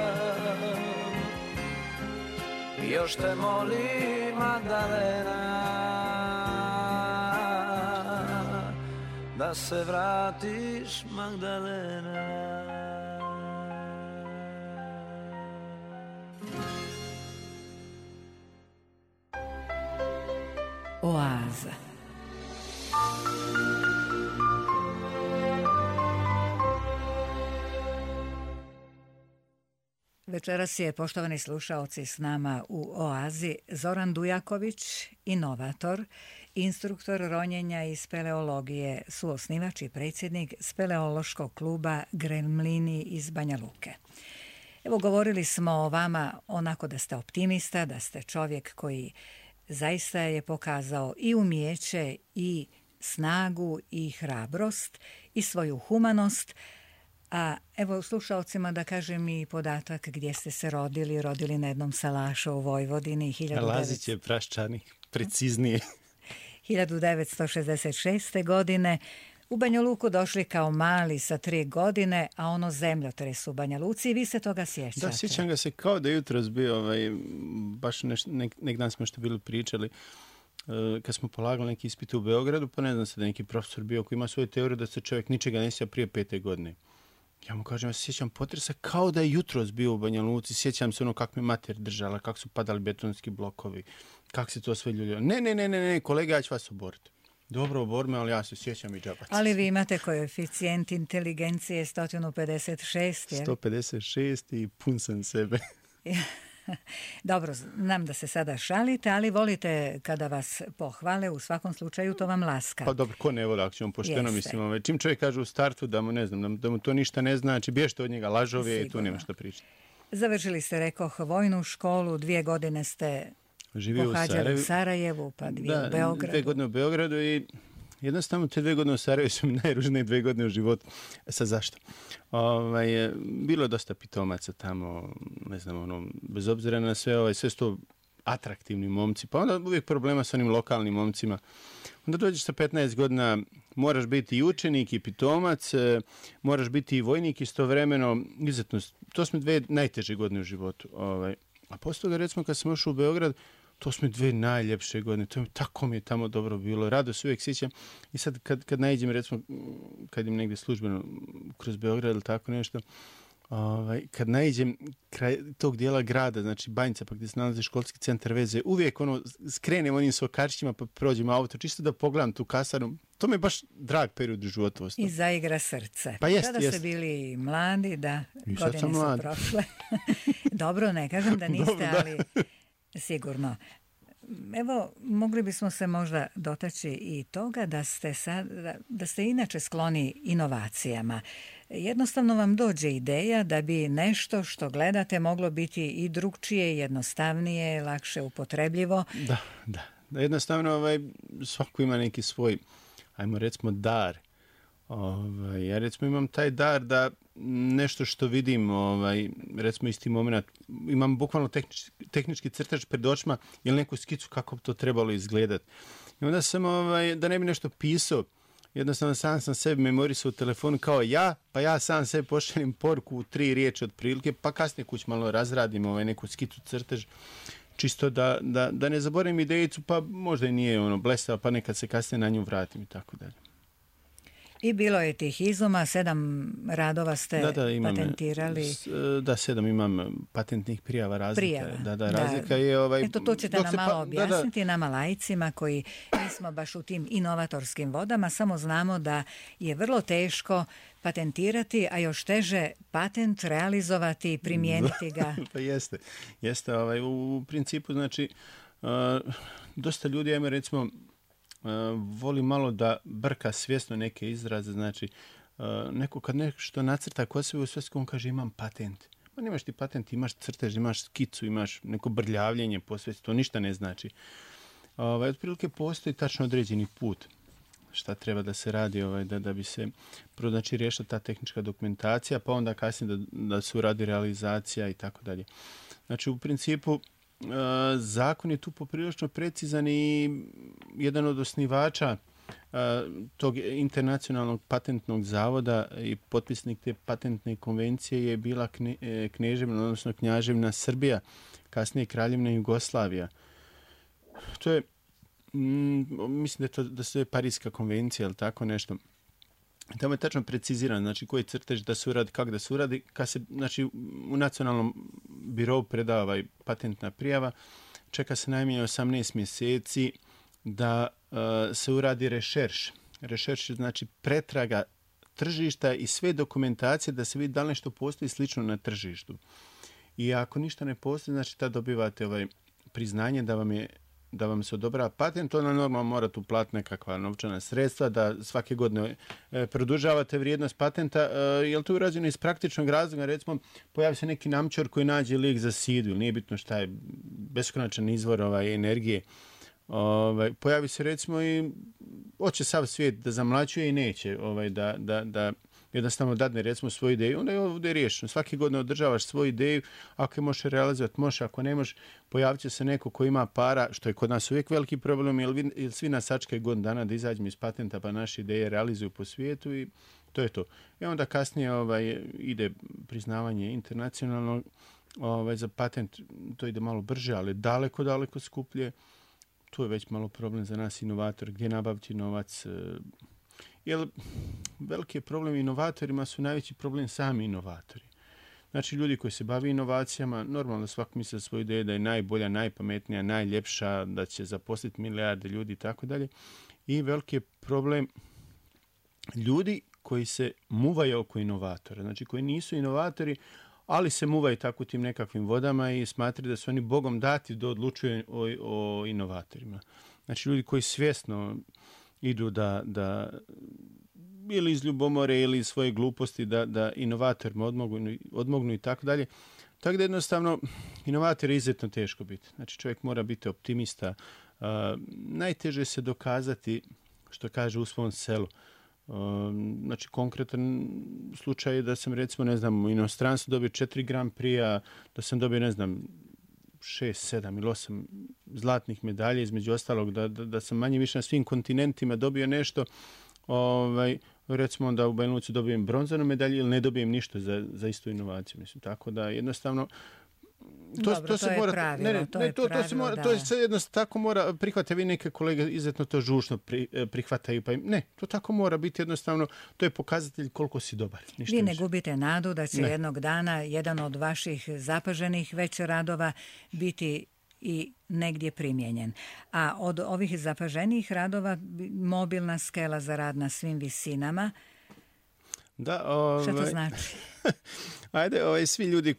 Još te molim, Magdalena, da se vratiš, Magdalena. Oaza. Večeras je, poštovani slušaoci, s nama u Oazi Zoran Dujaković, inovator, instruktor ronjenja i speleologije, suosnivač i predsjednik speleološkog kluba Gremlini iz Banja Luke. Evo, govorili smo o vama onako da ste optimista, da ste čovjek koji zaista je pokazao i umijeće i snagu i hrabrost i svoju humanost. A evo slušalcima da kažem i podatak gdje ste se rodili na jednom salašu u Vojvodini. Lazić je Praščani, preciznije. 1966. godine. U Banja Luku došli kao mali sa 3 godine, a ono zemljotres u Banja Luci i vi se toga sjećate. Da, sjećam ga se kao da jutros bio, baš nek dan smo nešto bili pričali, kad smo polagali neki ispit u Beogradu, pa ne znam se da neki profesor bio koji ima svoju teoriju da se čovjek ničega ne sjeća prije 5. godine. Ja mu kažem, ja se sjećam potresa kao da je jutros bio u Banja Luci, sjećam se ono kako me mater držala, kako su padali betonski blokovi, kako se to sve ljuljilo. Ne, kolega, ja ću vas oboriti. Dobro, obor me, ali ja se sjećam i džabac. Ali vi imate koeficijent inteligencije 156, jer? 156 i pun sam sebe. Dobro, znam da se sada šalite, ali volite kada vas pohvale, u svakom slučaju to vam laska. Pa dobro, ko ne voli, ako ćemo pošteno, mislim, čim čovjek kaže u startu da mu, ne znam, da mu to ništa ne znači, bježite od njega, lažov je i tu nema što pričati. Završili ste, rekoh, vojnu školu, 2 godine ste pohađali u Sarajevu, pa 2 u Beogradu. 2 godine u Beogradu i jednostavno te 2 godine u Sarajevu su mi najružnije 2 godine u životu. Sad zašto? Bilo je dosta pitomaca tamo, ne znam, bez obzira na sve, sve su to atraktivni momci, pa onda uvijek problema sa onim lokalnim momcima. Onda dođeš sa 15 godina, moraš biti i učenik i pitomac, moraš biti i vojnik istovremeno, izuzetno, to su mi 2 najteže godine u životu. A poslije toga, recimo, kad sam ušao u Beograd, to su mi 2 najljepše godine, tako mi je tamo dobro bilo, rado se uvijek sjećam. I sad kad naiđem, recimo, kad im negdje službeno kroz Beograd ili tako nešto, kad naiđem kraj tog dijela grada, znači Banjica, pa gdje se nalazi školski centar veze, uvijek skrenem onim sokačićima pa prođem auto, čisto da pogledam tu kasarnu. To mi je baš drag period u životu. I zaigra srce. Pa jest, Kada ste bili mladi, da, i godine su prošle. Dobro, ne kažem da niste, dobro, ali sigurno. Evo, mogli bismo se možda dotaći i toga da ste inače skloni inovacijama. Jednostavno vam dođe ideja da bi nešto što gledate moglo biti i drugčije, jednostavnije, lakše upotrebljivo. Da. Jednostavno svako ima neki svoj, ajmo recimo, dar. Ja recimo imam taj dar da nešto što vidim, recimo isti moment, imam bukvalno tehnički crtač pred očima ili neku skicu kako bi to trebalo izgledati. I onda sam, da ne bi nešto pisao, jednostavno sam sebi memorisao u telefonu kao pa ja sam sebi pošaljem poruku u 3 riječi otprilike, pa kasnije kuć malo razradim neku skicu crtež, čisto da ne zaboravim idejicu, pa možda i nije blesava, pa nekad se kasnije na nju vratim i tako dalje. I bilo je tih izuma, 7 radova ste patentirali. 7 imam patentnih prijava razlika. Razlika je Eto, to ćete nam malo objasniti, nama laicima koji nismo baš u tim inovatorskim vodama, samo znamo da je vrlo teško patentirati, a još teže patent realizovati i primijeniti ga. Pa jeste. U principu, znači, dosta ljudi, ajme recimo, voli malo da brka svjesno neke izraze, znači neko kad nešto nacrta kod sebe u svesku, on kaže imam patent. Ma nemaš ti patent, imaš crtež, imaš skicu, imaš neko brljavljenje po svesti, to ništa ne znači. Otprilike postoji tačno određeni put šta treba da se radi da bi se prvo znači riješila ta tehnička dokumentacija, pa onda kasnije da se uradi realizacija i tako dalje. Znači u principu zakon je tu poprilično precizan i jedan od osnivača tog internacionalnog patentnog zavoda i potpisnik te patentne konvencije je bila kneževina, odnosno knjaževina Srbija, kasnije kraljevina Jugoslavija. To je, mislim da se je Parijska konvencija ili tako nešto. Tamo je tačno precizirano, znači koji crtež da se uradi, kako da se uradi. Kad se, znači, u nacionalnom birovu predava patentna prijava, čeka se najmanje 18 mjeseci da se uradi rešerš. Rešerš je znači pretraga tržišta i sve dokumentacije da se vidi da li nešto postoji slično na tržištu. I ako ništa ne postoji, znači tad dobivate priznanje da vam se odobrava patent, onda normalno morate uplatiti nekakva novčana sredstva, da svake godine produžavate vrijednost patenta, jer to je urađeno iz praktičnog razloga, recimo pojavi se neki namčar koji nađe lijek za sidu, nije bitno šta je, beskonačan izvor energije, pojavi se recimo i hoće sav svijet da zamlaćuje i neće da jednostavno dadne recimo svoju ideju, onda je ovdje riješeno. Svake godine održavaš svoju ideju, ako je možeš realizovati, možeš, ako ne možeš, pojavit će se neko ko ima para, što je kod nas uvijek veliki problem, jer svi nas sačekaju godinu dana da izađemo iz patenta pa naše ideje realizuju po svijetu i to je to. I onda kasnije ide priznavanje internacionalno za patent, to ide malo brže, ali daleko, daleko skuplje. Tu je već malo problem za nas inovator, gdje nabaviti novac. Jer veliki problem inovatorima su najveći problem sami inovatori. Znači ljudi koji se bavi inovacijama, normalno da svako misli svoju ideju da je najbolja, najpametnija, najljepša, da će zaposliti milijarde ljudi i tako dalje. I veliki je problem ljudi koji se muvaju oko inovatora. Znači koji nisu inovatori, ali se muvaju tako tim nekakvim vodama i smatraju da su oni Bogom dati da odlučuju o inovatorima. Znači ljudi koji svjesno idu da ili iz ljubomore ili iz svoje gluposti da inovatorima odmognu i tako dalje. Tako da jednostavno inovator je izuzetno teško biti. Znači čovjek mora biti optimista. Najteže se dokazati, što kaže u svom selu. Znači konkretan slučaj je da sam recimo u inostranstvu dobio 4 Grand Prix, da sam dobio 6, 7 ili 8 zlatnih medalja, između ostalog da sam manje više na svim kontinentima dobio nešto, recimo da u Banja Luci dobijem bronzanu medalju ili ne dobijem ništa za istu inovaciju. Mislim, tako da jednostavno to se mora pravilo, to se jednostavno tako mora prihvatiti. Vi neke kolege izuzetno to žučno prihvataju, pa to tako mora biti jednostavno, to je pokazatelj koliko si dobar. Vi ne gubite nadu da će jednog dana jedan od vaših zapaženih već radova biti i negdje primijenjen. A od ovih zapaženijih radova mobilna skela za rad na svim visinama, šta to znači? Ajde, svi ljudi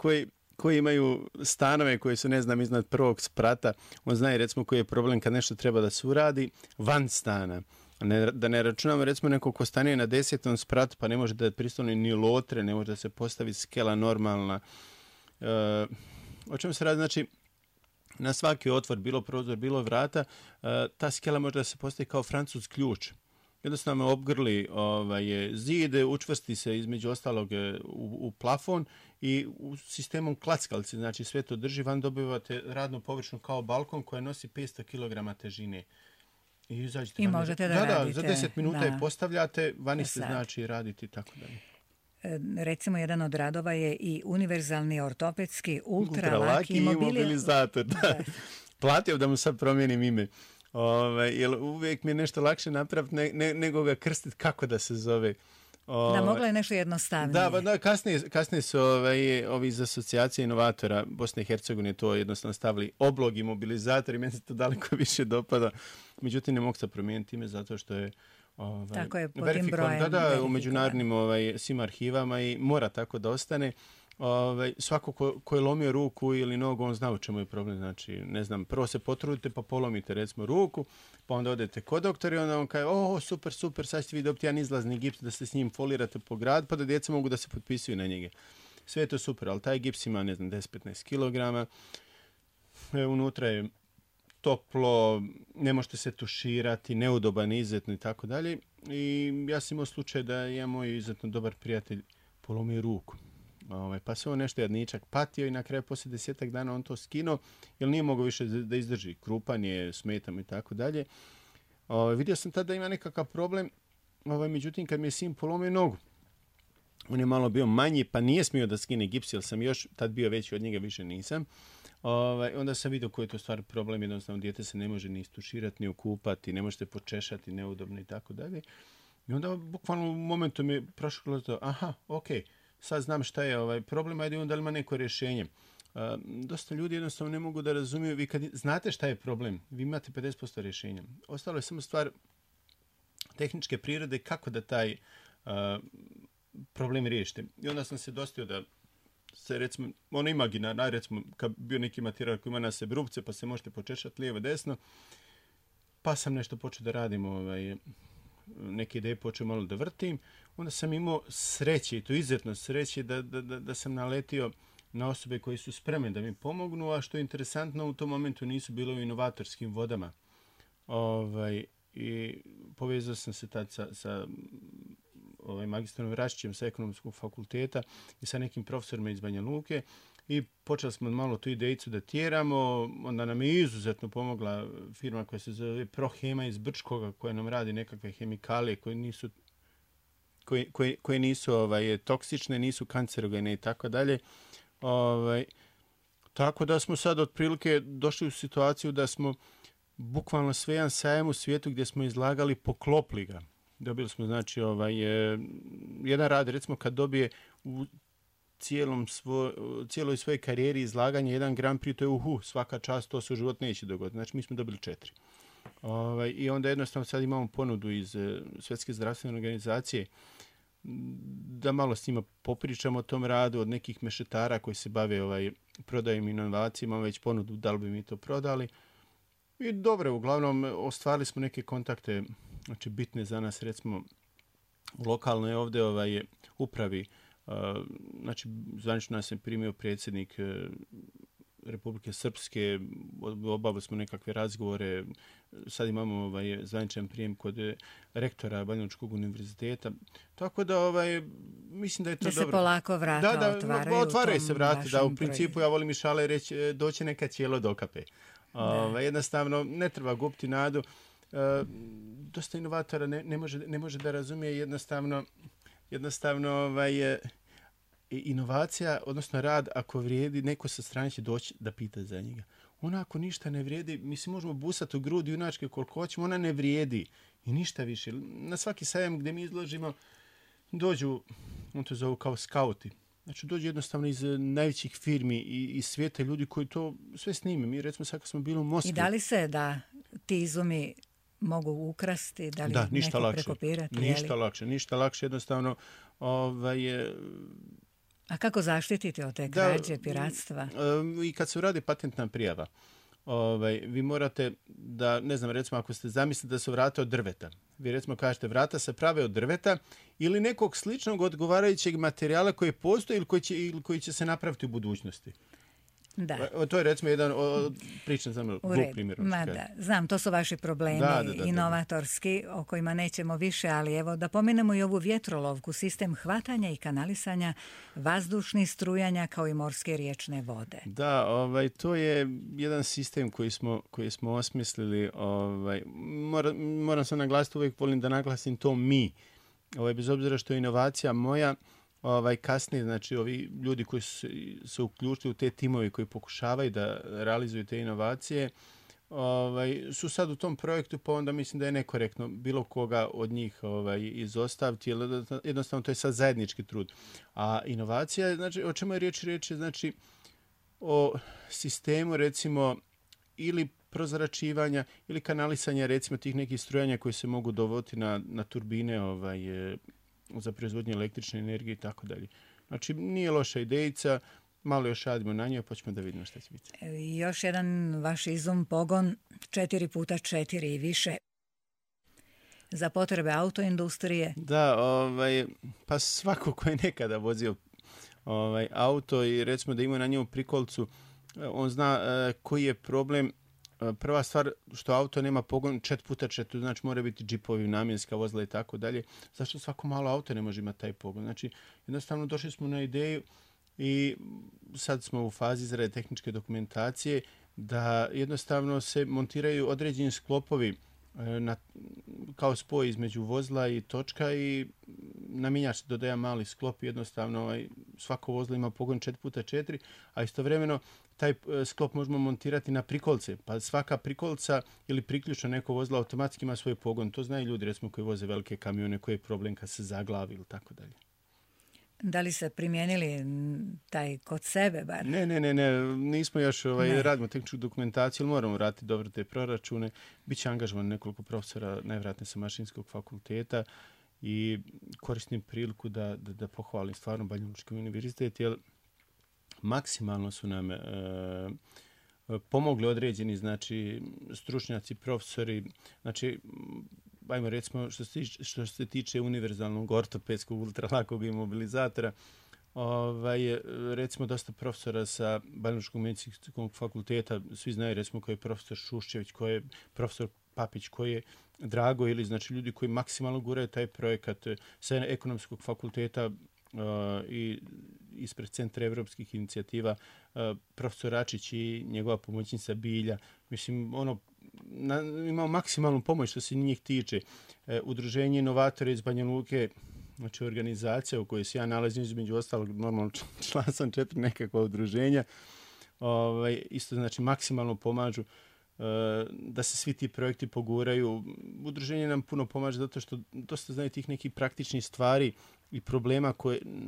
koji imaju stanove koji su, iznad prvog sprata, on zna recimo koji je problem kad nešto treba da se uradi van stana. Da ne računamo recimo neko ko stanuje na 10. spratu pa ne može da pristane ni lotre, ne može da se postavi skela normalna. O čemu se radi? Znači, na svaki otvor, bilo prozor, bilo vrata, ta skela može da se postavi kao francuz ključ. Jednostavno obgrli zid, učvrsti se između ostalog u plafon i u sistemom klackalice, znači sve to drži, van dobivate radnu površinu kao balkon koja nosi 500 kg težine. I možete da radite. Za 10 minuta je postavljate, vani se znači raditi i tako dalje. Recimo, jedan od radova je i univerzalni ortopedski ultralaki imobilizator. Da. Platio da mu sad promijenim ime. Jer uvijek mi je nešto lakše napraviti nego ga krstiti kako da se zove. Da, moglo je nešto jednostavnije. Da, kasnije su ovi iz asocijacije inovatora Bosne i Hercegovine to jednostavno stavili oblog imobilizator i meni se to daleko više dopada. Međutim, ne mogu se promijeniti ime zato što je tako je, po tim brojem. Da, u međunarodnim svim arhivama i mora tako da ostane. Svako ko je lomio ruku ili nogu, on zna u čemu je problem. Znači, prvo se potrudite pa polomite recimo ruku, pa onda odete kod doktora i onda on kaže, super, sad ćete vi dobiti jedan izlazni gips da se s njim folirate po gradu, pa da djeca mogu da se potpisuju na njega. Sve je to super, ali taj gips ima, 10-15 kg, unutra je toplo, ne možete se tuširati, neudoban, izuzetno i tako dalje. I ja sam imao slučaj da je moj izuzetno dobar prijatelj polomio ruku. Pa se on nešto jadničak patio i na kraju poslije 10 dana on to skinuo jer nije mogao više da izdrži. Krupan je, smetam i tako dalje. Vidio sam tada da ima nekakav problem, međutim kad mi je sin polomio nogu, on je malo bio manji pa nije smio da skine gips jer sam još tad bio veći od njega, više nisam. Onda sam vidio koji je to stvar problem, jednostavno dijete se ne može ni istuširati, ni okupati, ne možete počešati, neudobno i tako dalje. I onda bukvalno u momentu mi je prošlo to, aha, ok, sad znam šta je problem, ajde onda li ima neko rješenje. Dosta ljudi jednostavno ne mogu da razumiju, vi kad znate šta je problem, vi imate 50% rješenja. Ostalo je samo stvar tehničke prirode kako da taj problem riješite. I onda sam se dostio da se recimo, ono imaginarno, recimo kad bio neki materijal koji ima na sebi rupce pa se možete počešati lijevo desno, pa sam nešto počeo da radim, neke ideje počeo malo da vrtim, onda sam imao sreće, i to izuzetno sreće, da sam naletio na osobe koji su spremne da mi pomognu, a što je interesantno, u tom momentu nisu bilo u inovatorskim vodama. I povezao sam se tad sa magistrom Vrašićem sa ekonomskog fakulteta i sa nekim profesorima iz Banja Luke i počeli smo malo tu idejicu da tjeramo. Onda nam je izuzetno pomogla firma koja se zove Prohema iz Brčkoga, koja nam radi nekakve hemikalije koje nisu toksične, nisu kancerogene i tako dalje. Tako da smo sad otprilike došli u situaciju da smo bukvalno sve jedan sajam u svijetu gdje smo izlagali, poklopili ga. Dobili smo, znači, jedan rad, recimo, kad dobije u cijeloj svojoj karijeri izlaganje jedan Grand Prix, to je svaka čast, to se u život neće dogoditi. Znači, mi smo dobili 4. I onda jednostavno sad imamo ponudu iz Svjetske zdravstvene organizacije da malo s njima popričamo o tom radu, od nekih mešetara koji se bave prodajom inovacijama, imamo već ponudu da li bi mi to prodali. I dobro, uglavnom ostvarili smo neke kontakte, znači bitne za nas, recimo u lokalnoj ovdje upravi, znači zvanično nas je primio predsjednik Republike Srpske, obavili smo nekakve razgovore, sad imamo zvaničan prijem kod rektora Banjalučkog univerziteta, tako da mislim da je to dobro. Da se polako vrata otvaraju. Otvaraju se vrata, da, u principu ja volim i šale reći, doće neka cijelo dokape. Jednostavno, ne treba gubiti nadu. Dosta inovatora ne može da razumije jednostavno inovacija, odnosno rad, ako vrijedi, neko sa strane će doći da pita za njega. Ona ako ništa ne vrijedi, mi se možemo busati u grudi junačke koliko hoćemo, ona ne vrijedi i ništa više. Na svaki sajam gdje mi izložimo dođu, on to zovu kao skauti. Znači dođu jednostavno iz najvećih firmi i iz svijeta ljudi koji to sve snime. Mi recimo sad kad smo bili u Moskvi. I da li se da ti izumi mogu ukrasti, da li neko prekopirati? Ništa lakše, jednostavno. A kako zaštititi od te krađe, piratstva? I kad se uradi patentna prijava, vi morate da, ne znam, recimo ako ste zamislili da su vrata od drveta, vi recimo kažete vrata se prave od drveta ili nekog sličnog odgovarajućeg materijala koji postoji ili koji će se napraviti u budućnosti. Da. To je recimo jedan pričan za glup primjer. Znam, to su vaši problemi inovatorski o kojima nećemo više, ali evo da pomenemo i ovu vjetrolovku, sistem hvatanja i kanalisanja vazdušnih strujanja kao i morske riječne vode. Da, to je jedan sistem koji smo osmislili. Moram se naglasiti, uvijek volim da naglasim to mi. Bez obzira što je inovacija moja, kasnije, znači ovi ljudi koji su se uključili u te timove koji pokušavaju da realizuju te inovacije, su sad u tom projektu, pa onda mislim da je nekorektno bilo koga od njih izostaviti, jer jednostavno to je sad zajednički trud. A inovacija, znači, o čemu je riječ? Riječ je, znači, o sistemu, recimo, ili prozračivanja ili kanalisanja, recimo, tih nekih strujanja koji se mogu dovoditi na turbine za proizvodnju električne energije i tako dalje. Znači, nije loša idejica, malo još radimo na njoj, pa ćemo da vidimo šta će biti. Još jedan vaš izum pogon 4x4 i više za potrebe autoindustrije. Da, pa svako ko je nekada vozio auto i recimo da ima na njemu prikolcu, on zna koji je problem. Prva stvar, što auto nema pogon 4x4, znači mora biti džipovi, namjenska vozila i tako dalje. Zašto svako malo auto ne može imati taj pogon? Znači, jednostavno došli smo na ideju i sad smo u fazi izrade tehničke dokumentacije da jednostavno se montiraju određeni sklopovi kao spoj između vozila i točka i na mjenjač se dodaje mali sklop, jednostavno svako vozilo ima pogon 4x4, a istovremeno taj sklop možemo montirati na prikolce, pa svaka prikolca ili priključno neko vozilo automatski ima svoj pogon. To znaju ljudi, recimo, koji voze velike kamione, koji je problem kad se zaglavi ili tako dalje. Da li se primijenili taj kod sebe bar? Ne, nismo još, radimo tehničku dokumentaciju, ali moramo vratiti dobro te proračune. Biće angažovan nekoliko profesora, najvjerojatnije sa Mašinskog fakulteta, i koristim priliku da pohvalim stvarno Banjalučki univerzitet, jer maksimalno su nam pomogli određeni, znači, stručnjaci, profesori, znači, ajmo recimo što se tiče univerzalnog ortopedskog ultralakog imobilizatora, recimo dosta profesora sa Banjalučkog medicinskog fakulteta, svi znaju, recimo, koji je profesor Šuščević, koji je profesor Papić, koji je Drago, ili znači ljudi koji maksimalno guraju taj projekat sa ekonomskog fakulteta i ispred Centra evropskih inicijativa, profesor Račić i njegova pomoćnica Bilja. Mislim, imao maksimalnu pomoć što se njih tiče. Udruženje inovatora iz Banja Luke, znači organizacija u kojoj se ja nalazim, između ostalog, normalno član sam 4 nekakva udruženja, isto znači maksimalno pomažu da se svi ti projekti poguraju. Udruženje nam puno pomaže zato što dosta znaju tih nekih praktičnih stvari i problema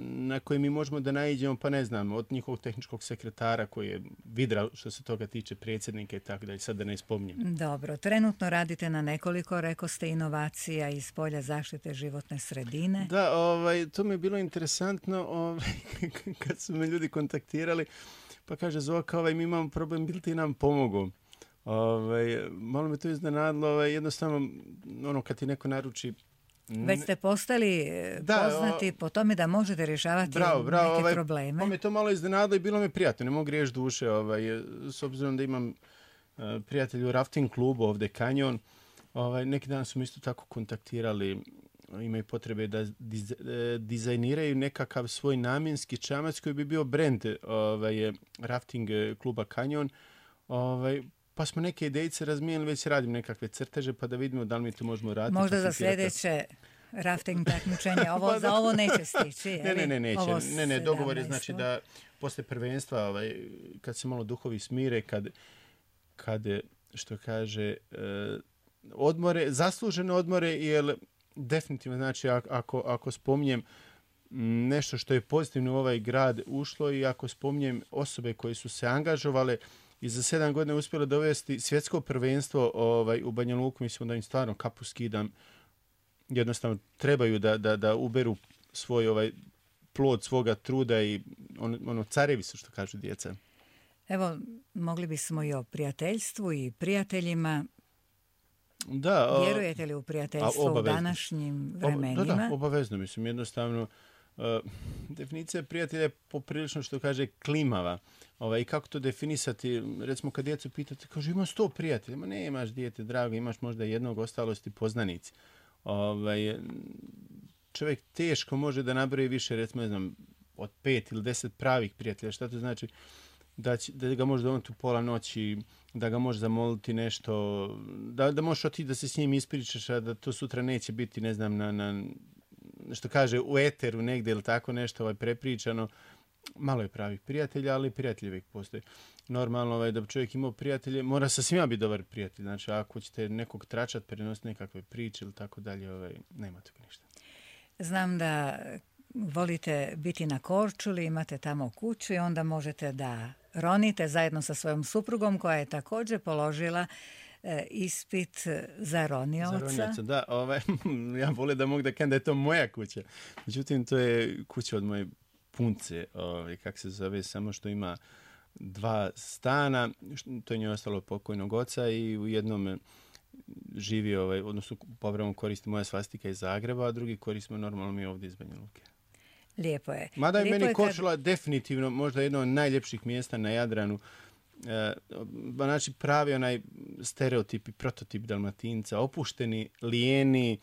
na koje mi možemo da naiđemo, pa ne znam, od njihovog tehničkog sekretara koji je vidra što se toga tiče, predsjednika i tako dalje, sad da ne spominjem. Dobro, trenutno radite na nekoliko, rekao ste, inovacija iz polja zaštite životne sredine. Da, to mi je bilo interesantno kad su me ljudi kontaktirali, pa kaže Zoka, mi imamo problem, bil ti nam pomogu? Malo me to iznenadilo, jednostavno, kad ti neko naruči... Već ste postali poznati po tome da možete rješavati neke probleme. Pa me to malo iznenadilo i bilo mi prijatno, ne mogu riješiti duše, s obzirom da imam prijatelj u rafting klubu ovdje Kanjon. Neki dan su mi isto tako kontaktirali, imaju potrebe da dizajniraju nekakav svoj namjenski čamac koji bi bio brand rafting kluba Kanjon. Pa smo neke idejice razmijenili, već radim nekakve crteže, pa da vidimo da li mi to možemo raditi. Možda za sljedeće rafting takmičenje, za ovo neće stići. neće. Ne, dogovor je znači da posle prvenstva, kad se malo duhovi smire, kad što kaže, zaslužene odmore, jer definitivno, znači, ako spominjem nešto što je pozitivno u ovaj grad ušlo i ako spominjem osobe koje su se angažovale i za 7 godina uspjelo dovesti svjetsko prvenstvo u Banja Luku, mislim da im stvarno kapu skidam. Jednostavno trebaju da uberu svoj plod svoga truda i carevi su, što kažu djeca. Evo, mogli bismo i o prijateljstvu i prijateljima. Da. Vjerujete li u prijateljstvo u današnjim vremenima? Da, obavezno, mislim, jednostavno. Definicija prijatelja je poprilično, što kaže, klimava. I kako to definisati? Recimo, kad djecu pitate, kaže, ima 100 prijatelja. Ma ne, imaš dijete, drago, imaš možda jednog, ostalosti poznanici. Čovjek teško može da nabroji više, recimo, ne znam, od 5 ili 10 pravih prijatelja. Šta to znači? Da ga može doneti u pola noći, da ga može zamoliti nešto, da možeš otići da se s njim ispričaš, a da to sutra neće biti, ne znam, na što kaže, u eteru negdje ili tako nešto prepričano. Malo je pravih prijatelja, ali prijatelji uvijek postoje. Normalno da bi čovjek imao prijatelje, mora sa svima biti dobar prijatelj. Znači, ako ćete nekog tračat, prenositi nekakve priče ili tako dalje, nema toga ništa. Znam da volite biti na Korčuli, imate tamo kuću i onda možete da ronite zajedno sa svojom suprugom koja je također položila ispit za ronioca. Da, ja volim da mogu da kažem da je to moja kuća. Međutim, to je kuća od moje punce, kako se zove, samo što ima 2 stana, to je njoj ostalo pokojnog oca i u jednom živi, odnosno povremeno koristi moja svastika iz Zagreba, a drugi koristimo normalno mi ovdje iz Banja Luke. Lijepo je. Mada je meni Korčula definitivno možda jedno od najljepših mjesta na Jadranu. Znači pravi onaj stereotip i prototip Dalmatinca, opušteni, lijeni,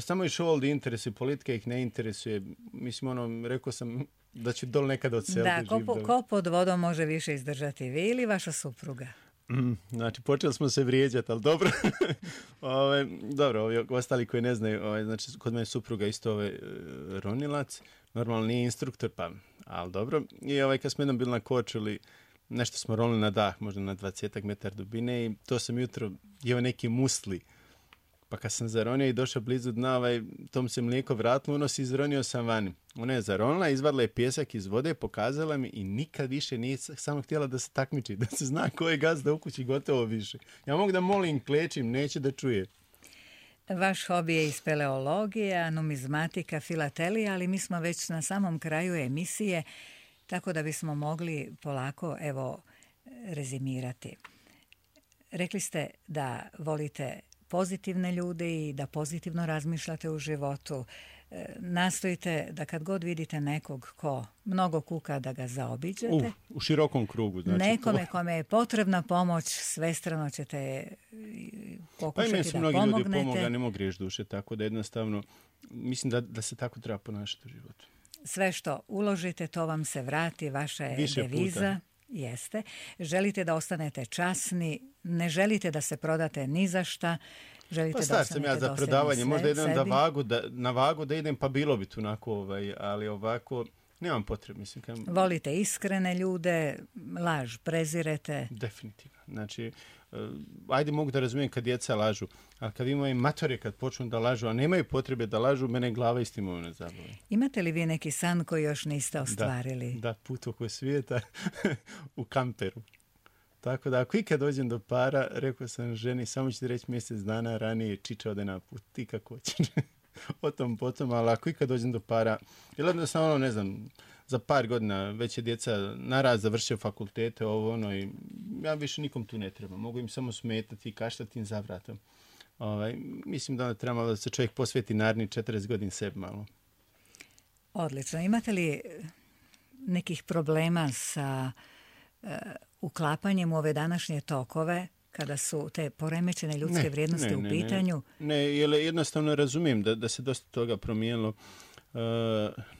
samo ih ovdje interesuje, politika ih ne interesuje. Mislim, rekao sam da ću dol nekada odseliti. Da, ko pod vodom može više izdržati, vi ili vaša supruga? Znači, počeli smo se vrijeđati, ali dobro. Dobro, ovi ostali koji ne znaju, znači, kod mene supruga isto ronilac, normalno nije instruktor, pa, ali dobro. I kad smo jednom bili na Korčuli, nešto smo ronili na dah, možda na 20 metara dubine i to sam jutro jeo neki musli. Pa kad sam zaronio i došao blizu dna, tom se mlijeko vratilo, unosi, izronio sam vani. Ona je zaronila, izvadila je pijesak iz vode, pokazala mi i nikad više nije samo htjela da se takmiči, da se zna ko je gazda u kući, gotovo više. Ja mogu da molim, klečim, neće da čuje. Vaš hobi je i speleologija, numizmatika, filatelija, ali mi smo već na samom kraju emisije, tako da bismo mogli polako, rezimirati. Rekli ste da volite pozitivne ljude i da pozitivno razmišljate u životu. Nastojite da kad god vidite nekog ko mnogo kuka, da ga zaobiđete. U širokom krugu. Znači, nekome kome je potrebna pomoć, svestrano ćete pokušati da pomognete. Pa meni su mnogi ljudi pomogli, ja ne mogu griješ duše, tako da jednostavno mislim da se tako treba ponašati u životu. Sve što uložite, to vam se vrati, vaša je više deviza. Puta. Jeste. Želite da ostanete časni, ne želite da se prodate ni za šta, želite da ostanete sam ja za prodavanje, možda idem na vagu da idem, pa bilo bi tu onako, ali ovako nemam potrebe. Mislim, volite iskrene ljude, laž prezirete. Definitivno. Znači, ajde mogu da razumijem kad djeca lažu, ali kad imaju matore kad počnu da lažu, a nemaju potrebe da lažu, mene glava istimo ne zabavi. Imate li vi neki san koji još niste ostvarili? Da, put oko svijeta u kamperu. Tako da ako ikad dođem do para, rekao sam ženi, samo ću ti reći mjesec dana ranije čiča ode na put, ti kako ćeš. O tom potom, ali ako ikad dođem do para, ili jednostavno, ne znam, za par godina već je djeca naraz završio fakultete, i ja više nikom tu ne treba. Mogu im samo smetati i kaštati im za vratom. Mislim da treba da se čovjek posveti naredni 40 godina sebi malo. Odlično. Imate li nekih problema sa uklapanjem u ove današnje tokove, kada su te poremećene ljudske vrijednosti u pitanju? Ne, jer jednostavno razumijem da se dosta toga promijenilo.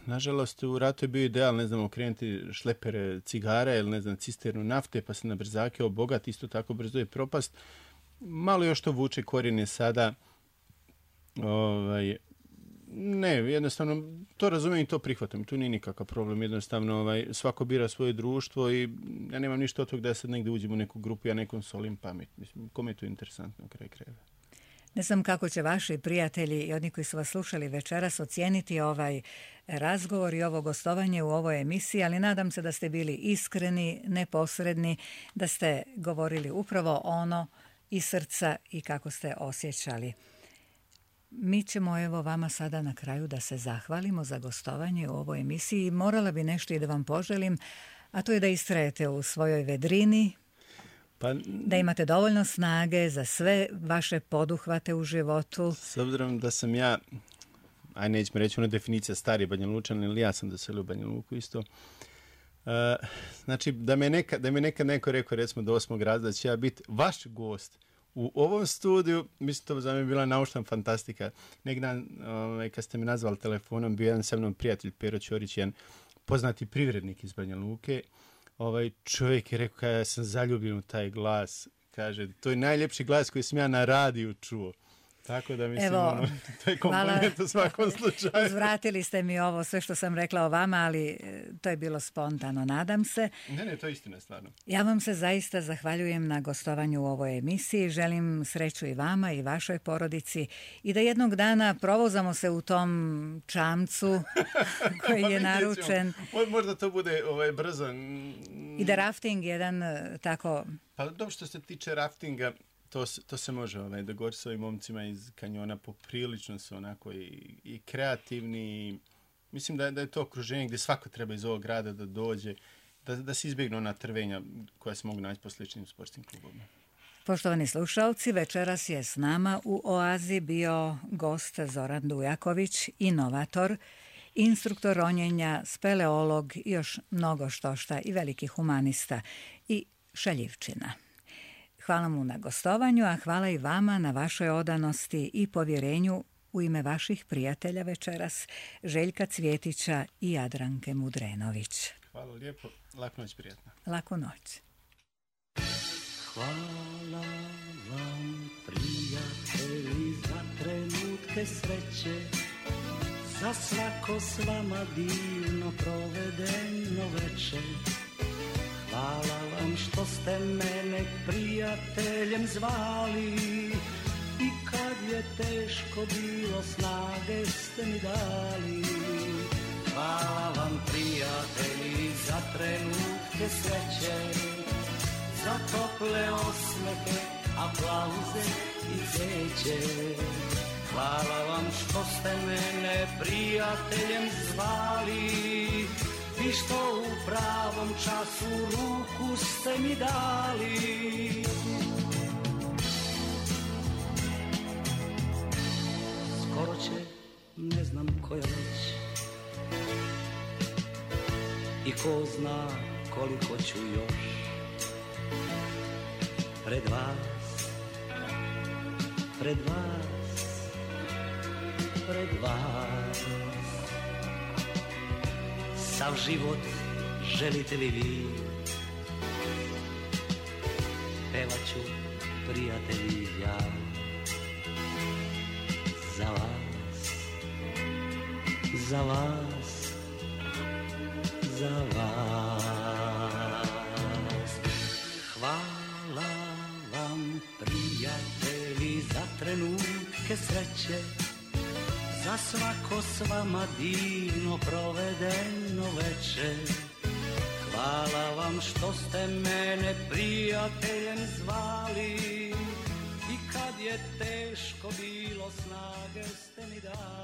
Nažalost, u ratu je bio ideal, ne znam, okrenuti šlepere cigara ili, ne znam, cisternu nafte, pa se na brzake obogati, isto tako brzo je propast. Malo još to vuče korijene sada. Ne, jednostavno, to razumijem i to prihvatam. Tu nije nikakav problem. Jednostavno, svako bira svoje društvo i ja nemam ništa od toga da sad negdje uđem u neku grupu, ja nekom solim pamet. Mislim, kome je to interesantno kraj krajeva. Ne znam kako će vaši prijatelji i oni koji su vas slušali večeras ocijeniti ovaj razgovor i ovo gostovanje u ovoj emisiji, ali nadam se da ste bili iskreni, neposredni, da ste govorili upravo ono iz srca i kako ste osjećali. Mi ćemo vama sada na kraju da se zahvalimo za gostovanje u ovoj emisiji. Morala bi nešto i da vam poželim, a to je da istrajete u svojoj vedrini, da imate dovoljno snage za sve vaše poduhvate u životu. S obzirom da sam ja, nećemo reći definicija stari Banja Lučan, ili ja sam doselio u Banja Luku isto. Znači, da me nekad neko rekao, recimo do 8. razreda, da će ja biti vaš gost u ovom studiju, mislim, to za me bila naučna fantastika. Neki dan, kad ste mi nazvali telefonom, bio jedan sa mnom prijatelj, Pero Ćorić, jedan poznati privrednik iz Banja Luke. Čovjek je rekao, ja sam zaljubljen u taj glas. Kaže, to je najljepši glas koji sam ja na radiju čuo. Tako da mislim, to je kompliment u svakom slučaju. Uzvratili ste mi ovo sve što sam rekla o vama, ali to je bilo spontano, nadam se. Ne, to je istina stvarno. Ja vam se zaista zahvaljujem na gostovanju u ovoj emisiji. Želim sreću i vama i vašoj porodici i da jednog dana provozamo se u tom čamcu koji je naručen. Možda to bude brzo. I da rafting jedan tako... Pa dobro, što se tiče raftinga, to se može dogovoriti s ovim momcima iz kanjona, poprilično su onako i kreativni. Mislim da je to okruženje gdje svako treba iz ovog grada da dođe, da se izbjegnu ona trvenja koja se mogu naći po sličnim sportskim klubovima. Poštovani slušalci, večeras je s nama u Oazi bio gost Zoran Dujaković, inovator, instruktor ronjenja, speleolog i još mnogo štošta i veliki humanista i šaljivčina. Hvala mu na gostovanju, a hvala i vama na vašoj odanosti i povjerenju u ime vaših prijatelja večeras, Željka Cvjetića i Jadranke Mudrenović. Hvala lijepo, laku noć, prijatno. Laku noć. Hvala vam, prijatelji, za trenutke sreće, za svako s vama divno provedeno večer. Hvala vam što ste mene prijateljem zvali i kad je teško bilo snage ste mi dali. Hvala vam, prijatelji, za trenutke sreće, za tople osmehe, aplauze i cvijeće. Hvala vam što ste mene prijateljem zvali i što u pravom času ruku ste mi dali. Skoro će, ne znam koja već, i ko zna koliko ću još pred vas, pred vas, pred vas. Sav život želite li vi, pevat ću, prijatelji, ja za vas, za vas, za vas. Hvala vam, prijatelji, za trenutke sreće, za svako s vama divno provedeno večer. Hvala vam što ste mene prijateljem zvali i kad je teško bilo snage ste mi dali.